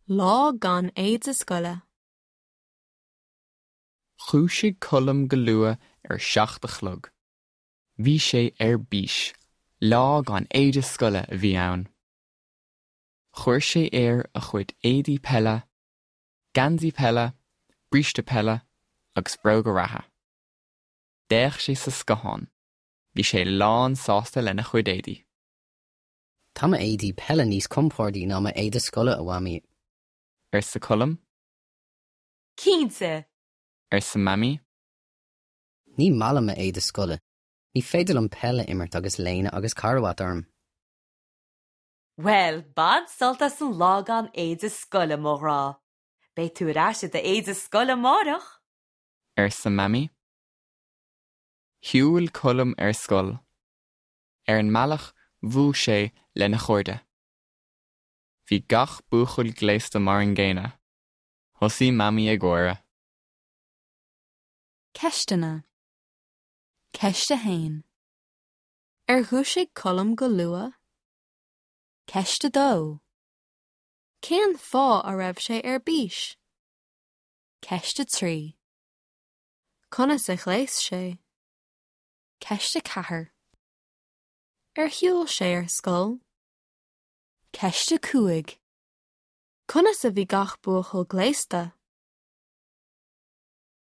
Lá gan éide scoile. Dhúisigh Colm go luath ar a 7 a chlog. Bhí sé ar bís, lá gan éide scoile a bhí ann. Chuir sé air a chuid éadaí peile, geansaí peile, bríste peile agus bróga reatha. D'fhéach sé sa scáthán. Bhí sé lán sásta lena chuid éadaí. Tá m'éadaí peile níos compordaí ná m'éide scoile, a Mhamaí. arsa Colm. Cinnte! arsa Mamaí. Ní maith liom m'éide scoile. Ní féidir liom peil a imirt agus léine agus carbhat orm. Bhuel, bain sult as an lá gan éide scoile, mo ghrá. Beidh tú ar ais i d'éide scoile amárach! arsa Mamaí. Shiúil Colm ar scoil. Ar an mbealach bhuail sé lena chairde. Bhí gach buachaill gléasta mar an gcéanna. Thosaigh Mamaí ag gáire. Ceisteanna. Ceist 1. Ar dhúisigh Colm go luath? Ceist 2. Cén fáth a raibh sé ar bís? Ceist 3. Conas a ghléas sé? Ceist 4. Ar shiúil sé ar scoil? Ceist 5. Conas a bhí gach buachaill gléasta?